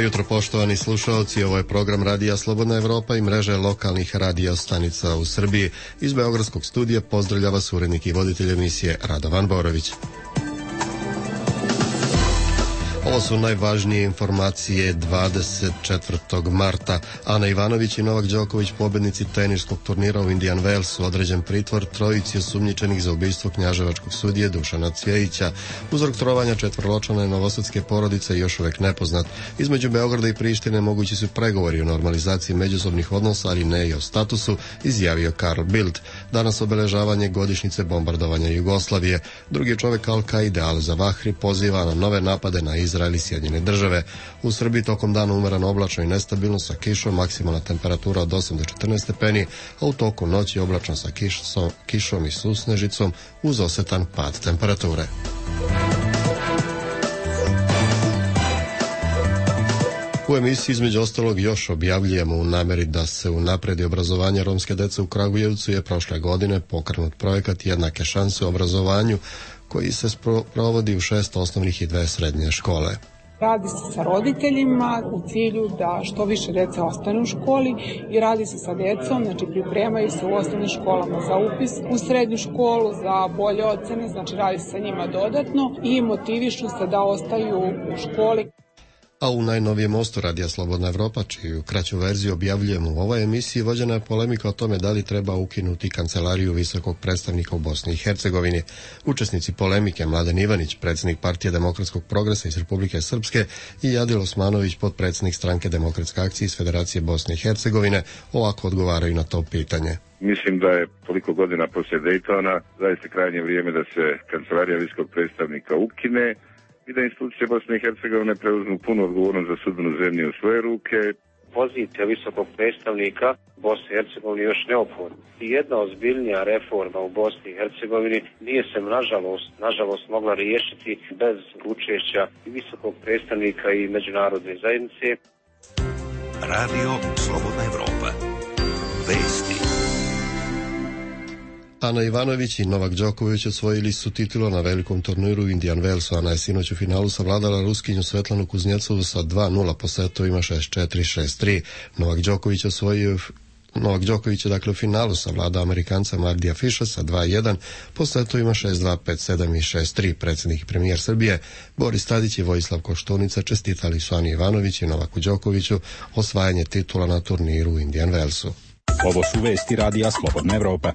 jutro, poštovani slušalci, ovo je program Radija Slobodna Evropa i mreže lokalnih radio stanica u Srbiji. Iz Beogradskog studija pozdravlja vas urednik i voditelj emisije Radovan Borović. Ovo su najvažnije informacije 24. marta. Ana Ivanović i Novak Đoković, pobednici teniskog turnira u Indian Walesu, određen pritvor trojici osumnjičenih za ubistvo knjaževačkog sudije Dušana Cvijejića. Uzrok trovanja četvrločlane novosadske porodice još uvek nepoznat. Između Beograda i Prištine mogući su pregovori o normalizaciji međusobnih odnosa, ali ne i o statusu, izjavio Karl Bildt. Danas obeležavanje godišnjice bombardovanja Jugoslavije. Drugi čovek Al-Kaide, Al-Zawahri, poziva na nove napade na Izrael i Sjedinjene Države. U Srbiji tokom dana umereno oblačno i nestabilno sa kišom, maksimalna temperatura od 8 do 14 stepeni, a u toku noći oblačno sa kišom i susnežicom uz osetan pad temperature. U emisiji između ostalog još objavljujemo u nameri da se unapredi obrazovanje romske dece u Kragujevcu je prošle godine pokrenut projekat Jednake šanse u obrazovanju koji se provodi u 6 osnovnih i 2 srednje škole. Radi se sa roditeljima u cilju da što više dece ostane u školi i radi se sa decom, znači pripremaju se u osnovnim školama za upis u srednju školu, za bolje ocene, znači radi se sa njima dodatno i motivišu se da ostaju u školi. A u najnovijem mostu Radija Slobodna Evropa, čiju kraću verziju objavljujemo u ovoj emisiji, vođena je polemika o tome da li treba ukinuti kancelariju visokog predstavnika u Bosni i Hercegovini. Učesnici polemike Mladen Ivanić, predsjednik Partije demokratskog progresa iz Republike Srpske, i Jadil Osmanović, potpredsjednik stranke Demokratske akcije iz Federacije Bosne i Hercegovine, ovako odgovaraju na to pitanje. Mislim da je toliko godina poslije Dejtona zaista krajnje vrijeme da se kancelarija visokog predstavnika ukine i da institucije Bosne i Hercegovine preuzmu punu odgovornost za sudbinu zemlje u svoje ruke. Pozicija visokog predstavnika Bosne i Hercegovine je još neophodna. I jedna ozbiljnija reforma u Bosni i Hercegovini nije se nažalost mogla riješiti bez učešća i visokog predstavnika i međunarodne zajednice. Radio Slobodna Evropa. Vesti. Ana Ivanović i Novak Đoković osvojili su titulu na velikom turniru u Indian Walesu. Ana je sinoć u finalu savladala Ruskinju Svetlanu Kuznjecovu sa 2-0 po setovima 6-4, 6-3. Novak Đoković je dakle u finalu savladao Amerikanca Mardija Fiša sa 2-1 po setovima 6-2, 5-7 i 6-3. Predsjednik i premijer Srbije Boris Tadić i Vojislav Koštunica čestitali su Ani Ivanović i Novaku Đokoviću osvajanje titula na turniru u Indian Walesu. Ovo su vesti Radija Slobodna Evropa.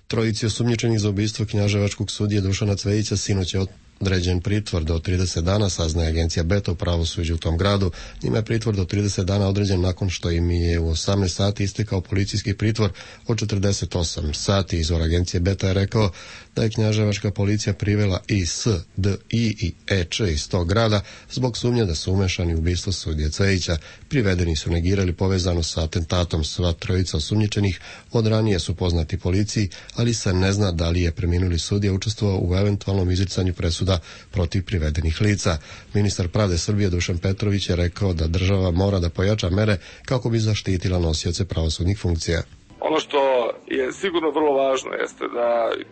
Trojici osumnjičenih za ubistvo knjaževačkog sudije Dušana Cvijejića sinoć je određen pritvor do 30 dana, saznaje agencija Beta u pravosuđu u tom gradu. Njima je pritvor do 30 dana određen nakon što im je u 18 sati istekao policijski pritvor od 48 sati. Izvor agencije Beta je rekao da je knjaževačka policija privela IS, DI i EČ iz tog grada zbog sumnje da su umešani u ubistvo sudije Cvijejića. Privedeni su negirali povezano sa atentatom. Sva trojica osumnjičenih od ranije su poznati policiji, ali se ne zna da li je preminuli sudija učestvovao u eventualnom izricanju presuda protiv privedenih lica. Ministar pravde Srbije Dušan Petrović je rekao da država mora da pojača mere kako bi zaštitila nosioce pravosudnih funkcija. Ono što je sigurno vrlo važno jeste da,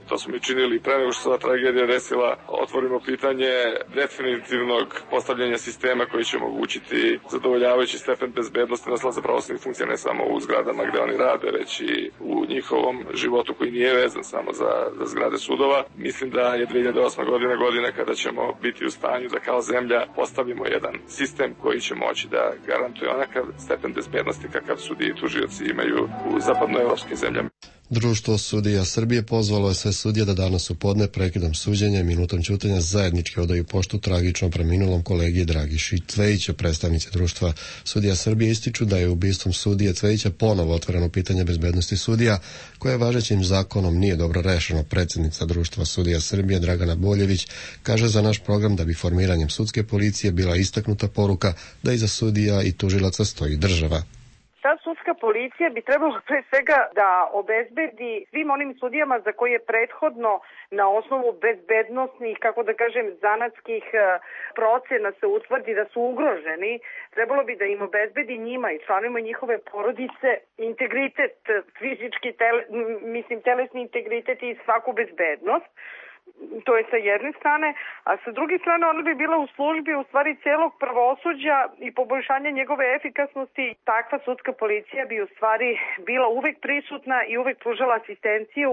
to smo mi činili pre nego što se ova tragedija desila, otvorimo pitanje definitivnog postavljanja sistema koji će omogućiti zadovoljavajući stepen bezbednosti nosilaca pravosudnih funkcija ne samo u zgradama gde oni rade, već i u njihovom životu koji nije vezan samo za zgrade sudova. Mislim da je 2008. godina kada ćemo biti u stanju da kao zemlja postavimo jedan sistem koji će moći da garantuje onakav stepen bezbednosti kakav sudije i tužioci imaju u zapadnoevropskim zemljama. Društvo sudija Srbije pozvalo je sve sudije da danas u podne prekidom suđenja i minutom ćutanja zajednički odaju poštu tragično preminulom kolegi Dragiši Cvijejiću. Predstavnici Društva sudija Srbije ističu da je ubistvom sudije Cvijejića ponovo otvoreno pitanje bezbednosti sudija, koje važećim zakonom nije dobro rešeno. Predsjednica Društva sudija Srbije Dragana Boljević kaže za naš program da bi formiranjem sudske policije bila istaknuta poruka da iza sudija i tužilaca stoji država. Ta sudska policija bi trebalo pre svega da obezbedi svim onim sudijama za koje je prethodno na osnovu bezbednosnih, kako da kažem, zanatskih procena se utvrdi da su ugroženi. Trebalo bi da im obezbedi njima i članovima njihove porodice integritet, fizički, telesni integritet i svaku bezbednost. To je sa jedne strane, a sa druge strane ona bi bila u službi u stvari celog pravosuđa i poboljšanja njegove efikasnosti. Takva sudska policija bi u stvari bila uvek prisutna i uvek pružala asistenciju,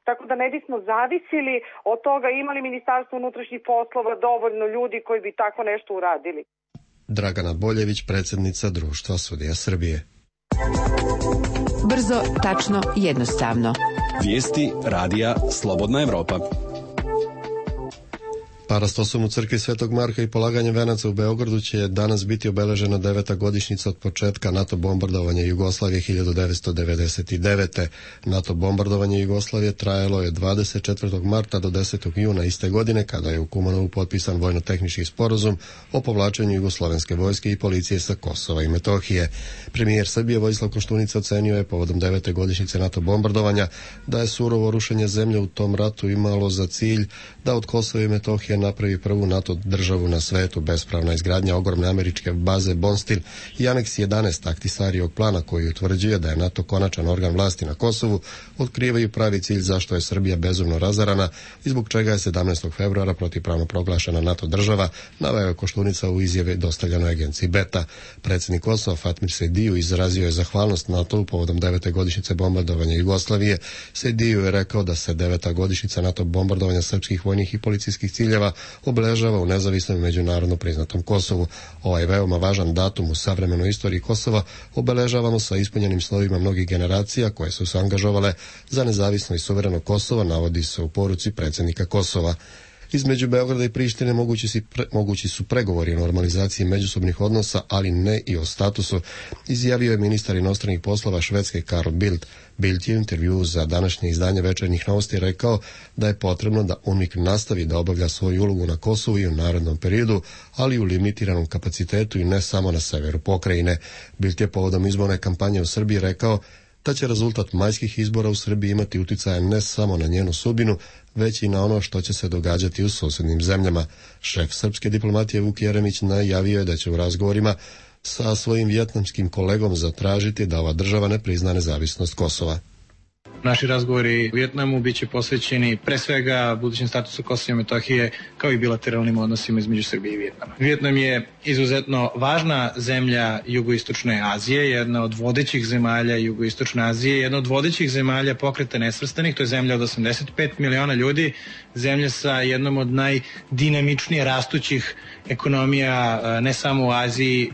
tako da ne bismo zavisili od toga imali Ministarstvo unutrašnjih poslova dovoljno ljudi koji bi tako nešto uradili. Dragana Boljević, predsjednica Društva sudija Srbije. Brzo, tačno, jednostavno. Vijesti radija Slobodna Evropa. Parastosom u crkvi Svetog Marka i polaganjem venaca u Beogradu će danas biti obeležena 9. godišnjica od početka NATO bombardovanja Jugoslavije 1999. NATO bombardovanje Jugoslavije trajalo je 24. marta do 10. juna iste godine, kada je u Kumanovu potpisan vojno-tehnički sporazum o povlačenju jugoslovenske vojske i policije sa Kosova i Metohije. Premijer Srbije Vojislav Koštunica ocenio je povodom 9. godišnjice NATO bombardovanja da je surovo rušenje zemlje u tom ratu imalo za cilj da od Kosova i Metohije napravi prvu NATO državu na svetu. Bespravna izgradnja ogromne američke baze Bonstil i aneks 11 Ahtisarijevog plana, koji utvrđuje da je NATO konačan organ vlasti na Kosovu, otkrivaju pravi cilj zašto je Srbija bezumno razarana i zbog čega je 17. februara protivpravno proglašena NATO država, naveo je Koštunica u izjave dostavljenoj agenciji Beta. Predsjednik Kosova Fatmir Sediju izrazio je zahvalnost NATO povodom 9. godišnjice bombardovanja Jugoslavije. Sediju je rekao da se 9. godišnjica NATO bombardovanja srpskih vojnih i policijskih ciljeva obeležava u nezavisnom i međunarodno priznatom Kosovu. Ovaj veoma važan datum u savremenoj istoriji Kosova obeležavamo sa ispunjenim slovima mnogih generacija koje su se angažovale za nezavisno i suvereno Kosovo, navodi se u poruci predsjednika Kosova. Između Beograda i Prištine mogući su pregovori o normalizaciji međusobnih odnosa, ali ne i o statusu, izjavio je ministar inostranih poslova Švedske Carl Bildt. Bildt je u intervjuu za današnje izdanje Večernjih novosti rekao da je potrebno da UNMIK nastavi da obavlja svoju ulogu na Kosovu i u narednom periodu, ali u limitiranom kapacitetu i ne samo na severu pokrajine. Bildt je povodom izborne kampanje u Srbiji rekao da će rezultat majskih izbora u Srbiji imati uticaja ne samo na njenu sudbinu, već i na ono što će se događati u susjednim zemljama. Šef srpske diplomatije Vuk Jeremić najavio je da će u razgovorima sa svojim vijetnamskim kolegom zatražiti da ova država ne prizna nezavisnost Kosova. Naši razgovori u Vijetnamu biće posvećeni pre svega budućem statusu Kosova i Metohije, kao i bilateralnim odnosima između Srbije i Vijetnama. Vijetnam je izuzetno važna zemlja jugoistočne Azije, jedna od vodećih zemalja jugoistočne Azije, jedna od vodećih zemalja Pokreta nesvrstanih, to je zemlja od 85 miliona ljudi, zemlja sa jednom od najdinamičnije rastućih ekonomija ne samo u Aziji.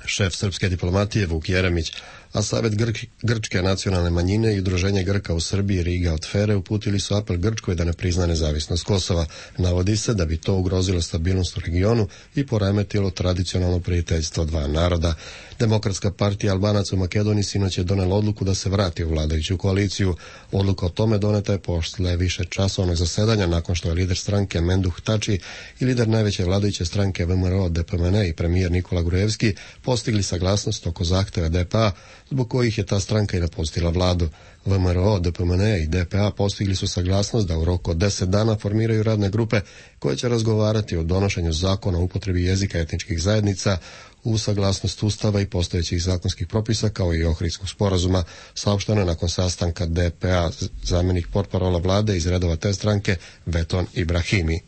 Šef srpske diplomatije Vuk Jeremić, a Savet Grčke nacionalne manjine i Udruženje Grka u Srbiji Riga od Fere uputili su apel Grčkoj da ne prizna nezavisnost Kosova. Navodi se da bi to ugrozilo stabilnost u regionu i poremetilo tradicionalno prijateljstvo dva naroda. Demokratska partija Albanaca u Makedoniji sinoć je donela odluku da se vrati u vladajuću koaliciju. Odluka o tome doneta je posle više časovnog zasedanja nakon što je lider stranke Menduh Tači i lider najveće vladajuće stranke VMRO DPMN i premijer Nikola Grujevski postigli saglasnost oko zahteva DPA, zbog kojih je ta stranka i napustila vladu. VMRO, DPMN i DPA postigli su saglasnost da u roku od 10 dana formiraju radne grupe koje će razgovarati o donošenju zakona o upotrebi jezika etničkih zajednica u saglasnost Ustava i postojećih zakonskih propisa, kao i Ohridskog sporazuma. Saopšteno je nakon sastanka DPA zamjenik portparola vlade iz redova te stranke Veton Ibrahimi.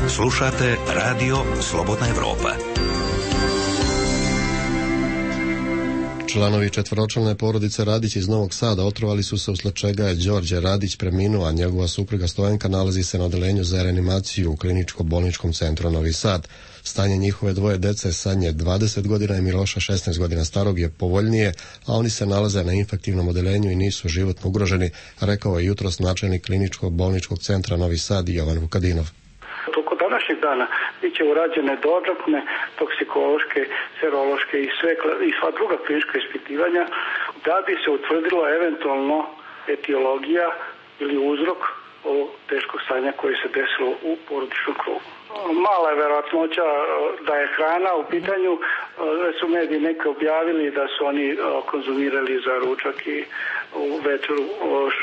Slušate Radio Slobodna Evropa. Članovi četvoročlane porodice Radić iz Novog Sada otrovali su se, usled čega je Đorđe Radić preminuo, a njegova supruga Stojanka nalazi se na odeljenju za reanimaciju u Kliničko-bolničkom centru Novi Sad. Stanje njihove dvoje dece, Sanje 20 godina i Miloša 16 godina starog, je povoljnije, a oni se nalaze na infektivnom odeljenju i nisu životno ugroženi, rekao je jutros načelnik Kliničko-bolničkog centra Novi Sad Jovan Vukadinov. Današnjeg dana biće urađene dodatne toksikološke, serološke i sva druga klinička ispitivanja da bi se utvrdilo eventualno etiologija ili uzrok ovog teškog stanja koje se desilo u porodičnom krugu. Mala je verovatnoća da je hrana u pitanju, da su mediji neke objavili da su oni konzumirali za ručak i u večeru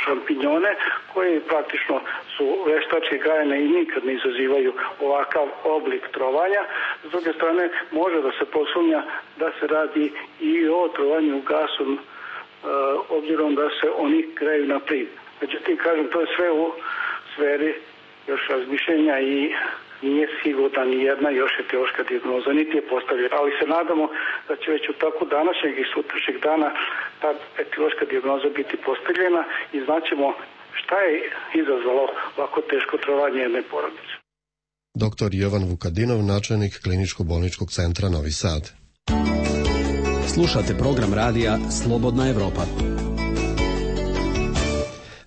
šampinjone, koji praktično su veštački gajene i nikad ne izazivaju ovakav oblik trovanja. S druge strane, može da se posumnja da se radi i o trovanju gasom, obzirom da se oni greju na plin. Međutim, kažem, to je sve u sferi još razmišljenja i nije sigurna ni jedna još etiološka dijagnoza, niti je postavljena. Ali se nadamo da će već u toku današnjeg i sutrašnjeg dana ta etiološka dijagnoza biti postavljena i znaćemo šta je izazvalo ovako teško trovanje jedne porodice. Dr. Jovan Vukadinov, načelnik Kliničko-bolničkog centra Novi Sad. Slušate program radija Slobodna Evropa.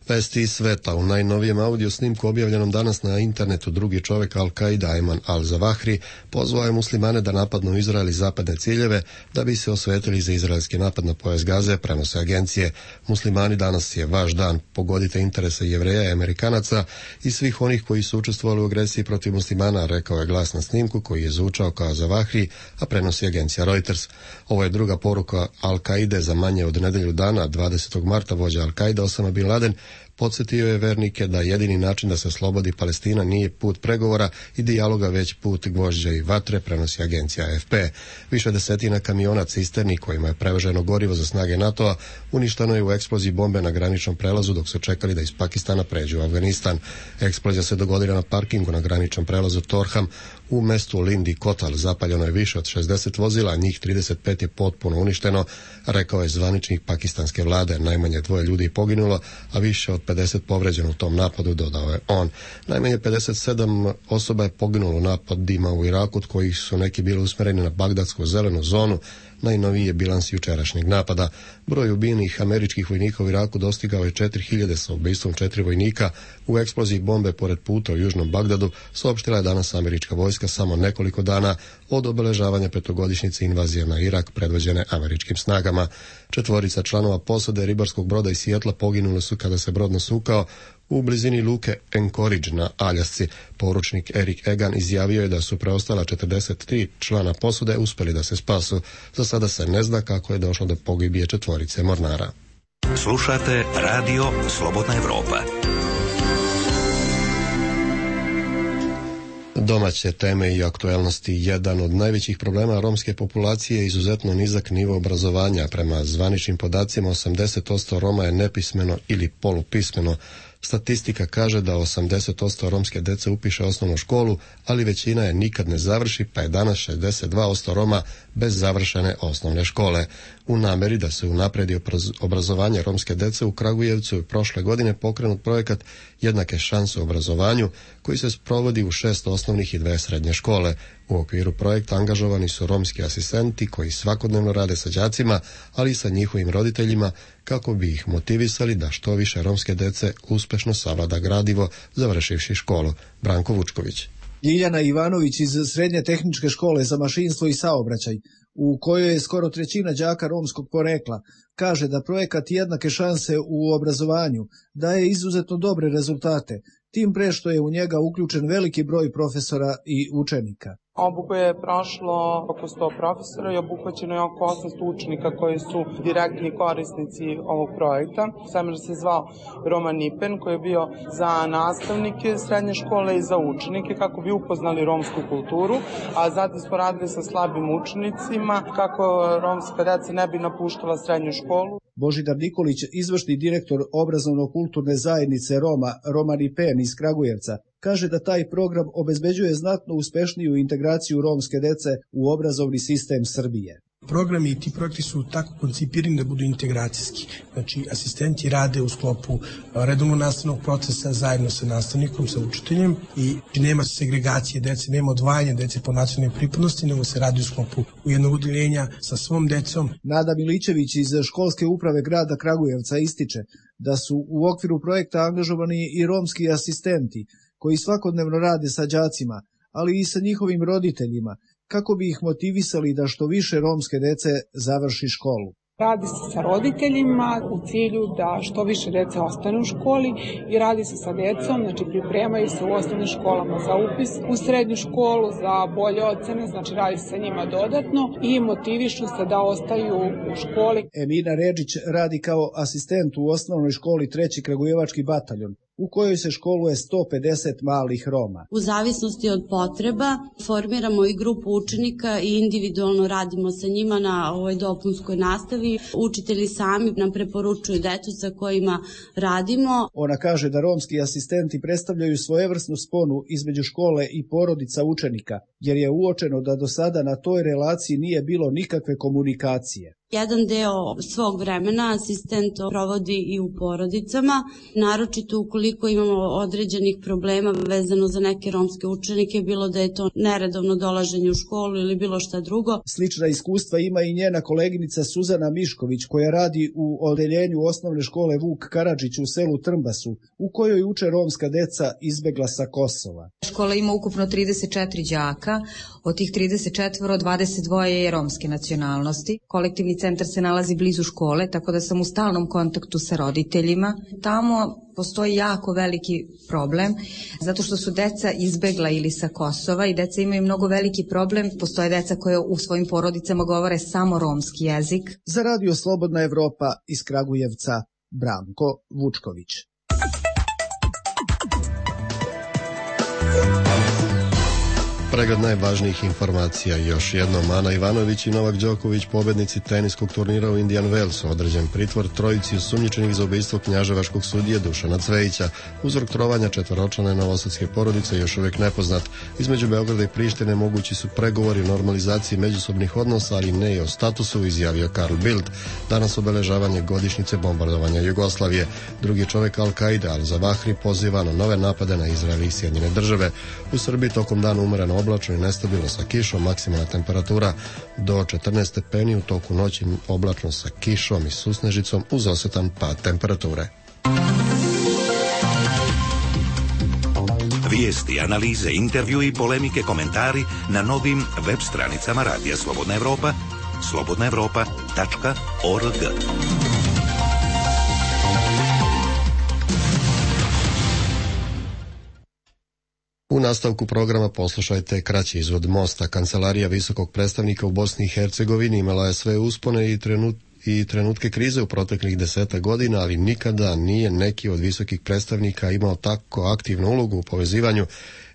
Vesti iz sveta. U najnovijem audio snimku objavljenom danas na internetu drugi čovjek Al-Qaida Ayman al-Zawahri pozvao je muslimane da napadnu Izrael i zapadne ciljeve da bi se osvetili za izraelski napad na pojas Gaze, prenose agencije. Muslimani, danas je vaš dan, pogodite interese Jevreja i Amerikanaca i svih onih koji su učestvovali u agresiji protiv muslimana, rekao je glas na snimku koji je zvučao kao Zawahri, a prenosi agencija Reuters. Ovo je druga poruka Al-Qaide za manje od nedelju dana. 20. marta vođa Al-Qaida Osama bin Laden podsjetio je vernike da jedini način da se oslobodi Palestina nije put pregovora i dijaloga, već put gvožđa i vatre, prenosi agencija AFP. Više desetina kamiona cisterni kojima je prevoženo gorivo za snage NATO-a uništeno je u eksploziji bombe na graničnom prelazu dok su čekali da iz Pakistana pređu u Afganistan. Eksplozija se dogodila na parkingu na graničnom prelazu Torham u mestu Lindi Kotal. Zapaljeno je više od 60 vozila, a njih 35 je potpuno uništeno, rekao je zvaničnik pakistanske vlade. Najmanje 2 ljudi je poginulo, a više od 50 povređeno u tom napadu, dodao je on. Najmanje 57 osoba je poginulo u napadima u Iraku, od kojih su neki bili usmjereni na bagdadsku zelenu zonu. Najnoviji je bilans jučerašnjeg napada. Broj ubijenih američkih vojnika u Iraku dostigao je 4000 sa ubistvom 4 vojnika u eksploziji bombe pored puta u južnom Bagdadu, saopštila je danas američka vojska samo nekoliko dana od obeležavanja petogodišnjice invazije na Irak predvođene američkim snagama. 4 članova posade ribarskog broda iz Sijetla poginuli su kada se brod nasukao u blizini luke Anchorage na Aljasci. Poručnik Erik Egan izjavio je da su preostala 43 člana posade uspjeli da se spasu. Za sada se ne zna kako je došlo do pogibije 4 mornara. Slušate Radio Slobodna Evropa. Domaće teme i aktuelnosti. Jedan od najvećih problema romske populacije je izuzetno nizak nivo obrazovanja. Prema zvaničnim podacima 80% Roma je nepismeno ili polupismeno. Statistika kaže da 80% romske dece upiše osnovnu školu, ali većina je nikad ne završi, pa je danas 62% Roma bez završene osnovne škole. U nameri da se unapredi obrazovanje romske dece u Kragujevcu je prošle godine pokrenut projekat Jednake šanse u obrazovanju, koji se sprovodi u 6 osnovnih i 2 srednje škole. U okviru projekta angažovani su romski asistenti koji svakodnevno rade sa đacima, ali i sa njihovim roditeljima, kako bi ih motivisali da što više romske dece uspešno savlada gradivo završivši školu. Branko Vučković. Ljiljana Ivanović iz Srednje tehničke škole za mašinstvo i saobraćaj, u kojoj je skoro trećina đaka romskog porekla, kaže da projekat Jednake šanse u obrazovanju daje izuzetno dobre rezultate, tim pre što je u njega uključen veliki broj profesora i učenika. Obuku je prošlo oko 100 profesora i obuhvaćeno je oko 800 učenika koji su direktni korisnici ovog projekta. Seminar se zvao Roma Nipen, koji je bio za nastavnike srednje škole i za učenike kako bi upoznali romsku kulturu, a zatim smo radili sa slabim učenicima kako romska deca ne bi napuštala srednju školu. Božidar Nikolić, izvršni direktor obrazovno-kulturne zajednice Roma Nipen iz Kragujevca, kaže da taj program obezbeđuje znatno uspešniju integraciju romske dece u obrazovni sistem Srbije. Programi i ti projekti su tako koncipirani da budu integracijski. Znači, asistenti rade u sklopu redovnog nastavnog procesa zajedno sa nastavnikom, sa učiteljem i nema segregacije dece, nema odvajanja dece po nacionalnoj pripadnosti, nego se radi u sklopu jednog odeljenja sa svom decom. Nada Milićević iz školske uprave grada Kragujevca ističe da su u okviru projekta angažovani i romski asistenti koji svakodnevno rade sa đacima, ali i sa njihovim roditeljima, kako bi ih motivisali da što više romske dece završi školu. Radi se sa roditeljima u cilju da što više dece ostane u školi i radi se sa decom, znači pripremaju se u osnovnim školama za upis, u srednju školu za bolje ocene, znači radi se sa njima dodatno i motivišu se da ostaju u školi. Emina Redžić radi kao asistent u osnovnoj školi 3. Kragujevački bataljon. u kojoj se školuje 150 malih Roma. U zavisnosti od potreba formiramo i grupu učenika i individualno radimo sa njima na ovoj dopunskoj nastavi. Učitelji sami nam preporučuju decu sa kojima radimo. Ona kaže da romski asistenti predstavljaju svojevrsnu sponu između škole i porodica učenika, jer je uočeno da do sada na toj relaciji nije bilo nikakve komunikacije. Jedan deo svog vremena asistent provodi i u porodicama, naročito ukoliko imamo određenih problema vezano za neke romske učenike, bilo da je to neredovno dolaženje u školu ili bilo šta drugo. Slična iskustva ima i njena koleginica Suzana Mišković, koja radi u odeljenju osnovne škole Vuk Karadžić u selu Trmbasu, u kojoj uče romska deca izbegla sa Kosova. Škola ima ukupno 34 đaka, od tih 34 22 je romske nacionalnosti. Kolektivni centar se nalazi blizu škole, tako da sam u stalnom kontaktu sa roditeljima. Tamo postoji jako veliki problem, zato što su deca izbegla ili sa Kosova i deca imaju mnogo veliki problem. Postoje deca koje u svojim porodicama govore samo romski jezik. Za Radio Slobodna Evropa iz Kragujevca, Branko Vučković. Pregled najvažnijih informacija još jednom. Ana Ivanović i Novak Đoković, pobednici teniskog turnira u Indian Wellsu, određen pritvor trojici osumnjičenih za ubistvo knjaževačkog sudije Dušana Cvejića. Uzrok trovanja četvoročlane novosadske porodice još uvijek nepoznat. Između Beograda i Prištine mogući su pregovori o normalizaciji međusobnih odnosa, ali ne i o statusu, izjavio Karl Bildt. Danas obeležavanje godišnjice bombardovanja Jugoslavije. Drugi čovjek Al-Kaide, Al-Zawahri, poziva na nove napade na Izrael i Sjedinjene Države. U Srbiji tokom dana umereno oblačno i nestabilno sa kišom, maksimalna temperatura do 14 stepeni, u toku noći oblačno sa kišom i susnežicom uz osetan pad temperature. Vijesti, analize, intervju i polemike, komentari na novim web stranicama Radija Slobodna Evropa, slobodnaevropa.org. U nastavku programa poslušajte kraći izvod Mosta. Kancelarija visokog predstavnika u Bosni i Hercegovini imala je sve uspone i trenutke krize u proteklih 10 godina, ali nikada nije neki od visokih predstavnika imao tako aktivnu ulogu u povezivanju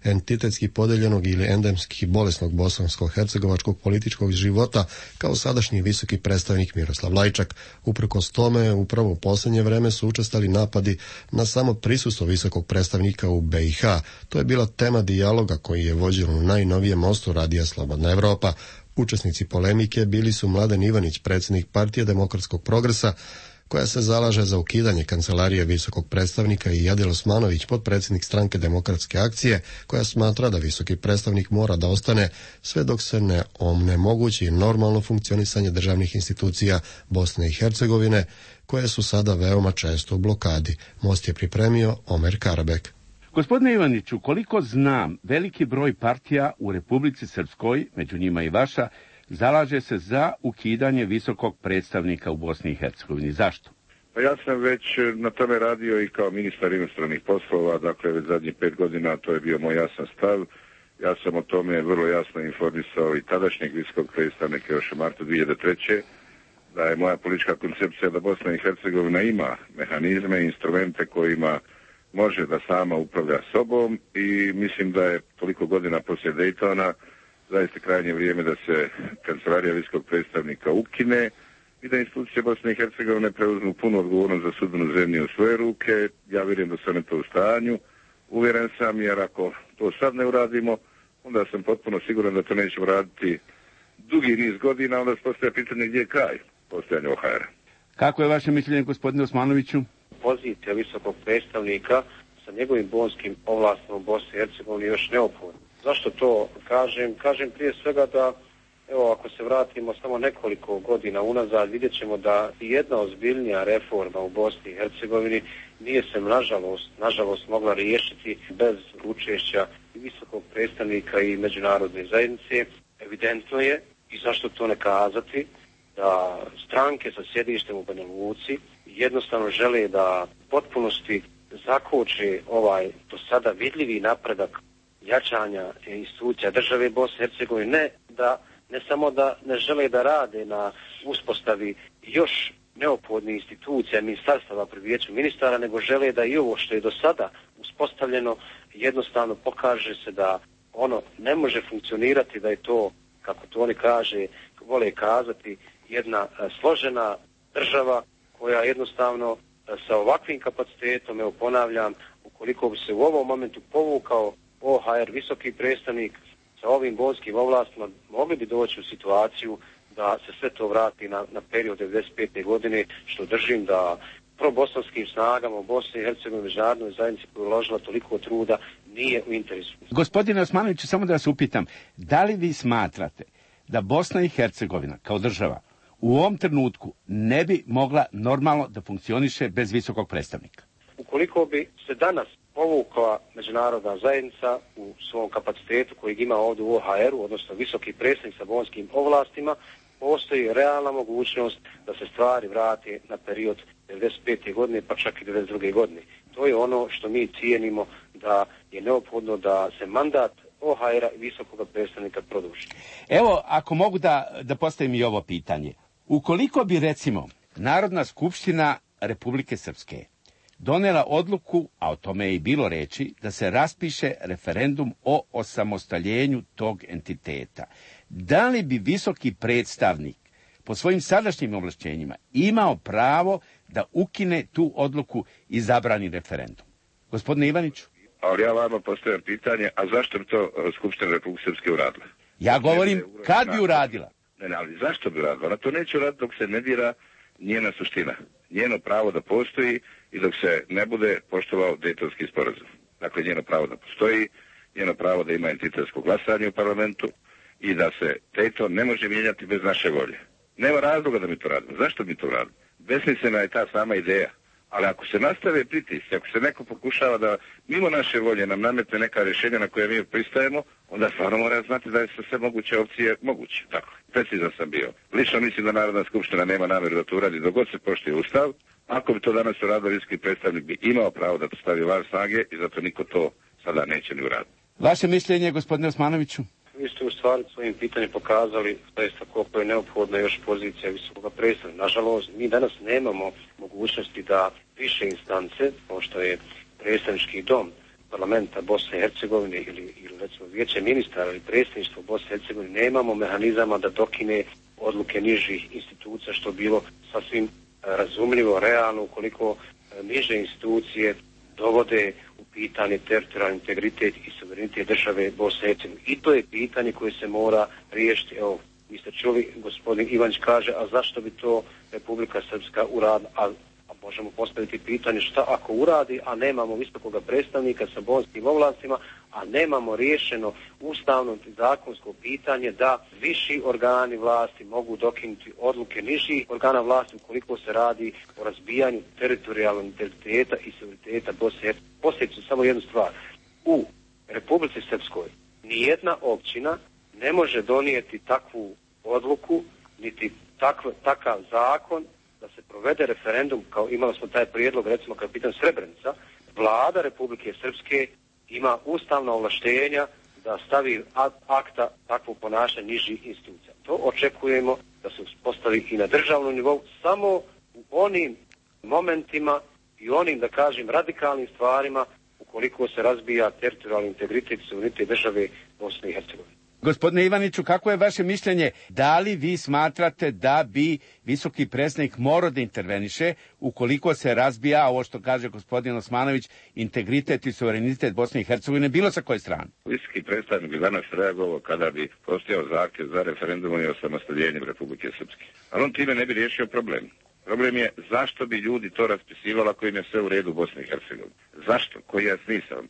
entitetski podeljenog ili endemski bolesnog bosansko-hercegovačkog političkog života kao sadašnji visoki predstavnik Miroslav Lajčak. Uprkos tome, upravo u posljednje vreme su učestali napadi na samo prisustvo visokog predstavnika u BiH. To je bila tema dijaloga koji je vođen u najnovijem mostu Radija Slobodna Evropa. Učesnici polemike bili su Mladen Ivanić, predsjednik Partije demokratskog progresa, koja se zalaže za ukidanje kancelarije visokog predstavnika, i Jadil Osmanović, potpredsjednik stranke Demokratske akcije, koja smatra da visoki predstavnik mora da ostane sve dok se ne onemogući normalno funkcionisanje državnih institucija Bosne i Hercegovine, koje su sada veoma često u blokadi. Most je pripremio Omer Karabek. Gospodine Ivaniću, koliko znam, veliki broj partija u Republici Srpskoj, među njima i vaša, zalaže se za ukidanje visokog predstavnika u Bosni i Hercegovini. Zašto? Pa ja sam već na tome radio i kao ministar inostranih poslova, dakle već zadnjih 5 godina, to je bio moj jasan stav. Ja sam o tome vrlo jasno informisao i tadašnjeg visokog predstavnika još u martu 2003. da je moja politička koncepcija da Bosna i Hercegovina ima mehanizme i instrumente kojima može da sama upravlja sobom, i mislim da je toliko godina poslije Daytona zaista krajnje vrijeme da se kancelarija visokog predstavnika ukine i da institucije Bosne i Hercegovine preuzmu punu odgovornost za sudbinu zemlje u svoje ruke. Ja vjerujem da su one to u stanju. Uvjeren sam, jer ako to sad ne uradimo, onda sam potpuno siguran da to nećemo raditi dugi niz godina, onda se postaje pitanje gdje je kraj postojanja OHR. Kako je vaše mišljenje, gospodine Osmanoviću? Pozicija visokog predstavnika sa njegovim bonskim ovlastima u Bosni i Hercegovini još neophodna. Zašto to kažem? Kažem prije svega da, evo, ako se vratimo samo nekoliko godina unazad, vidjet ćemo da jedna ozbiljnija reforma u Bosni i Hercegovini nije se nažalost mogla riješiti bez učešća i visokog predstavnika i međunarodne zajednice. Evidentno je, i zašto to ne kazati, da stranke sa sjedištem u Banja Luci jednostavno žele da potpunosti zakoče ovaj do sada vidljivi napredak jačanja institucija države Bosne i Hercegovine, ne samo da ne žele da rade na uspostavi još neophodnih institucija ministarstava pri vijeću ministara, nego žele da i ovo što je do sada uspostavljeno jednostavno pokaže se da ono ne može funkcionirati, da je to, kako to oni vole kazati, jedna složena država koja jednostavno sa ovakvim kapacitetom, evo ponavljam, ukoliko bi se u ovom momentu povukao OHR, visoki predstavnik, sa ovim bolskim ovlastima, mogli bi doći u situaciju da se sve to vrati na period 95. godine, što držim da probosanskim snagama u Bosni i Hercegovini, međunarodnoj zajednici koja je uložila toliko truda, nije u interesu. Gospodine Osmanoviću, samo da vas upitam, da li vi smatrate da Bosna i Hercegovina kao država u ovom trenutku ne bi mogla normalno da funkcioniše bez visokog predstavnika? Ukoliko bi se danas povukla međunarodna zajednica u svom kapacitetu kojeg ima ovdje u OHR-u, odnosno visoki predstavnik sa bonskim ovlastima, postoji realna mogućnost da se stvari vrati na period 95. godine, pa čak i 92. godine. To je ono što mi cijenimo da je neophodno da se mandat OHR-a i visokog predstavnika produži. Evo, ako mogu da postavim i ovo pitanje. Ukoliko bi, recimo, Narodna skupština Republike Srpske donela odluku, a o tome je i bilo reči, da se raspiše referendum o osamostaljenju tog entiteta, da li bi visoki predstavnik po svojim sadašnjim ovlašćenjima imao pravo da ukine tu odluku i zabrani referendum? Gospodine Ivaniću? Ali ja vama postavljam pitanje, a zašto bi to Skupština Republike Srpske uradila? Ja govorim, kad bi uradila? Ne, ali zašto bi uradila? Ona to neće uraditi dok se ne dira njena suština. Njeno pravo da postoji i dok se ne bude poštovao Dejtonski sporazum. Dakle, njeno pravo da postoji, njeno pravo da ima entitetsko glasanje u parlamentu i da se Dejton ne može mijenjati bez naše volje. Nema razloga da mi to radimo. Zašto mi to radimo? Besmislena je ta sama ideja. Ali ako se nastave pritisci, ako se neko pokušava da mimo naše volje nam nametne neka rješenja na koje mi pristajemo, onda stvarno mora znati da je sve moguće opcije moguće. Tako, precizan sam bio. Lično mislim da Narodna skupština nema namjeru da to uradi dok god se poštuje Ustav. Ako bi to danas uradio visoki predstavnik, bi imao pravo da to stavi van snage i zato niko to sada neće ni uraditi. Vaše mišljenje, gospodine Osmanoviću? Vi ste u stvari svojim pitanjem pokazali zaista koliko je neophodna još pozicija visokog predstavnika. Nažalost, mi danas nemamo mogućnosti da više instance, kao što je predstavnički dom parlamenta Bosne i Hercegovine ili recimo vijeće ministara ili predstavništvo Bosne i Hercegovine, nemamo mehanizama da dokine odluke nižih institucija, što bilo sasvim razumljivo, realno, ukoliko niže institucije dovode u pitanje teritorijalni integritet i suverenitet države Bosne i Hercegovine. I to je pitanje koje se mora riješiti. Evo, vi ste čuli, gospodin Ivanić kaže, a zašto bi to Republika Srpska uradila? A možemo postaviti pitanje šta ako uradi, a nemamo visokog predstavnika sa bonskim ovlastima, a nemamo riješeno ustavno i zakonsko pitanje da viši organi vlasti mogu dokinuti odluke nižih organa vlasti ukoliko se radi o razbijanju teritorijalnog integriteta i suvereniteta Bosne i Hercegovine. Posjećam samo jednu stvar. U Republici Srpskoj nijedna općina ne može donijeti takvu odluku, niti takav zakon da se provede referendum, kao imali smo taj prijedlog, recimo kao pitan Srebrenica. Vlada Republike Srpske ima ustavna ovlaštenja da stavi akta takvog ponašanja nižih institucija. To očekujemo da se uspostavi i na državnom nivou, samo u onim momentima i onim, da kažem, radikalnim stvarima ukoliko se razbija teritorijalni integritet i suverenitet države Bosne i Hercegovine. Gospodine Ivaniću, kako je vaše mišljenje? Da li vi smatrate da bi visoki predstavnik morao da interveniše ukoliko se razbija, ovo što kaže gospodin Osmanović, integritet i suverenitet Bosne i Hercegovine, bilo sa koje strane? Visoki predstavnik bi danas reagovao kada bi postojao zahtjev za referendum i osamostaljenjem Republike Srpske. Ali on time ne bi riješio problem. Problem je zašto bi ljudi to raspisivali ako im je sve u redu u Bosni i Hercegovini. Zašto? Koji je smisao?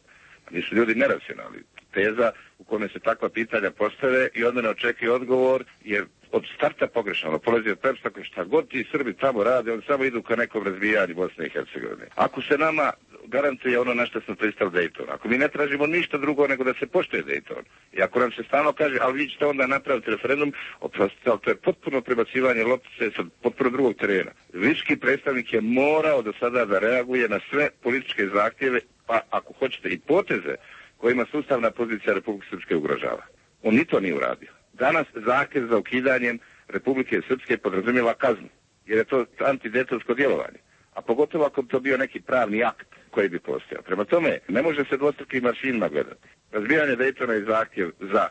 Nisu ljudi neracionalni. Teza u kojoj se takva pitanja postave i onda ne očekuje odgovor je od starta pogrešno. Polazi od pretpostavke šta god ti Srbi tamo rade, oni samo idu ka nekom razbijanju Bosne i Hercegovine. Ako se nama garantuje ono na što smo pristali Dejton, ako mi ne tražimo ništa drugo nego da se poštuje Dejton, i ako nam se stalno kaže, ali vi ćete onda napraviti referendum, oprostite, ali to je potpuno prebacivanje loptice sa potpuno drugog terena. Visoki predstavnik je morao do sada da reaguje na sve političke zahtjeve, pa ako hoćete i poteze kojima sustavna pozicija Republike Srpske ugrožava. On ni to nije uradio. Danas zahtjev za ukidanjem Republike Srpske podrazumijeva kaznu. jer je to antidejtonsko djelovanje. A pogotovo ako bi to bio neki pravni akt koji bi postojao. Prema tome, ne može se dvostrukim aršinima gledati. Razbijanje Dejtona je zahtjev za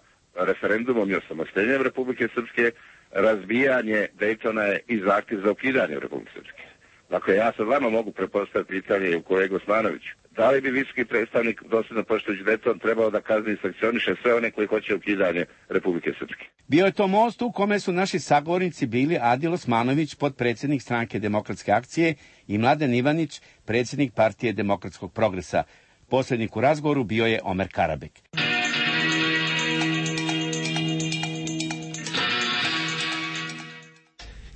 referendumom i osamostaljenjem Republike Srpske, razbijanje Dejtona je i zahtjev za ukidanje Republike Srpske. Dakle, ja sad vama mogu prepostaviti pitanje i u kolegu Osmanoviću. Da li bi visoki predstavnik dosljedno poštujući Dejton trebao da kazni i sankcioniše sve one koji hoće ukidanje Republike Srpske? Bio je to most u kome su naši sagovornici bili Adil Osmanović, potpredsjednik Stranke demokratske akcije, i Mladen Ivanić, predsjednik Partije demokratskog progresa. Poslednjik u razgovoru bio je Omer Karabek.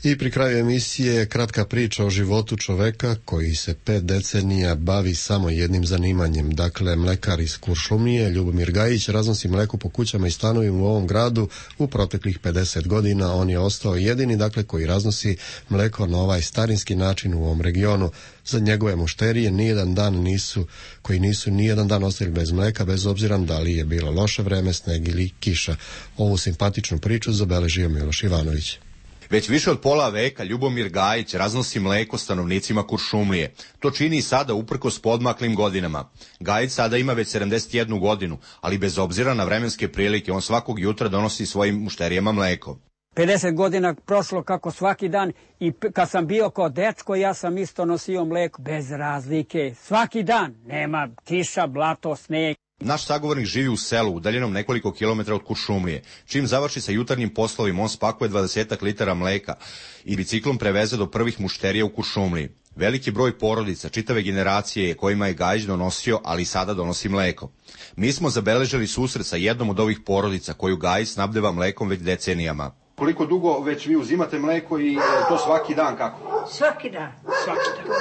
I pri kraju emisije kratka priča o životu čoveka koji se 5 decenija bavi samo jednim zanimanjem. Dakle, mlekar iz Kuršumlije, Ljubomir Gajić, raznosi mleko po kućama i stanovima u ovom gradu u proteklih 50 godina. On je ostao jedini, dakle, koji raznosi mleko na ovaj starinski način u ovom regionu. Za njegove mušterije nijedan dan ostali bez mleka, bez obzira da li je bilo loše vreme, sneg ili kiša. Ovu simpatičnu priču zabeležio Miloš Ivanović. Već više od pola veka Ljubomir Gajić raznosi mleko stanovnicima Kuršumlije. To čini i sada uprkos podmaklim godinama. Gajić sada ima već 71 godinu, ali bez obzira na vremenske prilike on svakog jutra donosi svojim mušterijama mleko. 50 godina prošlo kako svaki dan i kad sam bio kao dečko ja sam isto nosio mleko bez razlike. Svaki dan, nema kiša, blato, sneg. Naš sagovornik živi u selu, udaljenom nekoliko kilometara od Kuršumlije. Čim završi sa jutarnjim poslovima, on spakuje 20 litara mleka i biciklom preveze do prvih mušterija u Kuršumliji. Veliki broj porodica, čitave generacije kojima je Gajić donosio, ali i sada donosi mleko. Mi smo zabeležili susret sa jednom od ovih porodica koju Gajić snabdeva mlekom već decenijama. Koliko dugo već vi uzimate mleko i to svaki dan kako? Svaki dan.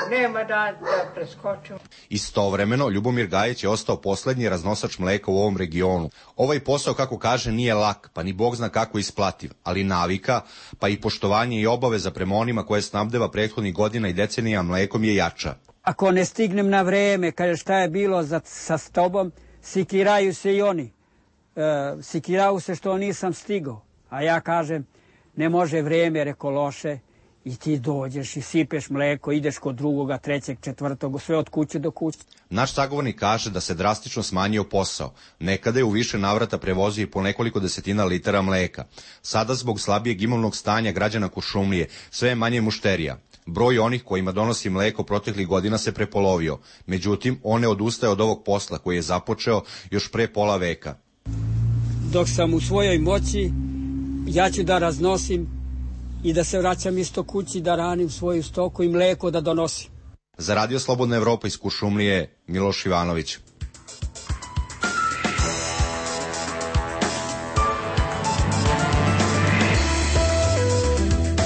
Nema da preskočim. Istovremeno, Ljubomir Gajić je ostao poslednji raznosač mleka u ovom regionu. Ovaj posao, kako kaže, nije lak, pa ni Bog zna kako isplativ, ali navika, pa i poštovanje i obaveza prema onima koje snabdeva prethodnih godina i decenija mlekom je jača. Ako ne stignem na vreme, kaže šta je bilo sa tobom, sikiraju se i oni. Sikiraju se što nisam stigao. A ja kažem, ne može vreme, reko loše, i ti dođeš i sipeš mleko, ideš kod drugoga, trećeg, četvrtog, sve od kuće do kuće. Naš sagovornik kaže da se drastično smanjio posao. Nekada je u više navrata prevozio i po nekoliko desetina litara mleka. Sada zbog slabijeg imovnog stanja građana Kuršumlije sve je manje mušterija. Broj onih kojima donosi mleko proteklih godina se prepolovio. Međutim, on ne odustaje od ovog posla koji je započeo još pre pola veka. Dok sam u svojoj moći, ja ću da raznosim i da se vraćam isto kući, da ranim svoju stoku i mleko da donosim. Za Radio Slobodna Evropa iz Kuršumlije, Miloš Ivanović.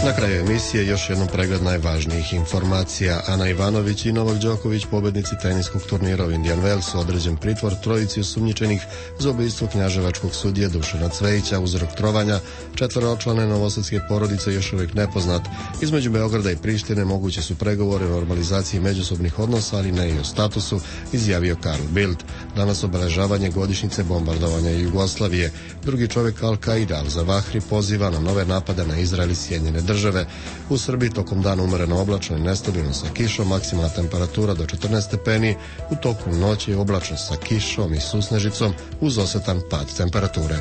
Na kraju emisije još jednom pregled najvažnijih informacija. Ana Ivanović i Novak Đoković, pobednici teniskog turnira u Indian Wellsu, određen pritvor trojici osumnjičenih za ubistvo knjaževačkog sudije Dušana Cvejića. Uzrok trovanja 4-člane novosadske porodice još uvijek nepoznat. Između Beograda i Prištine moguće su pregovore o normalizaciji međusobnih odnosa, ali ne i o statusu, izjavio Karl Bildt. Danas obeležavanje godišnjice bombardovanja Jugoslavije. Drugi čovjek Al-Qaida, Al-Zawahri, poziva na nove napade na Izrael i Sjedinjene Države. U Srbiji tokom dana umereno oblačno i nestabilno sa kišom, maksimalna temperatura do 14 stepeni, u toku noći je oblačno sa kišom i susnežicom uz osetan pad temperature.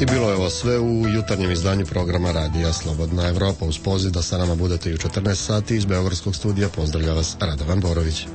I bilo je ovo sve u jutarnjem izdanju programa Radija Slobodna Evropa. Uz poziv da sa nama budete i u 14 sati iz Beogradskog studija pozdravlja vas Radovan Borović.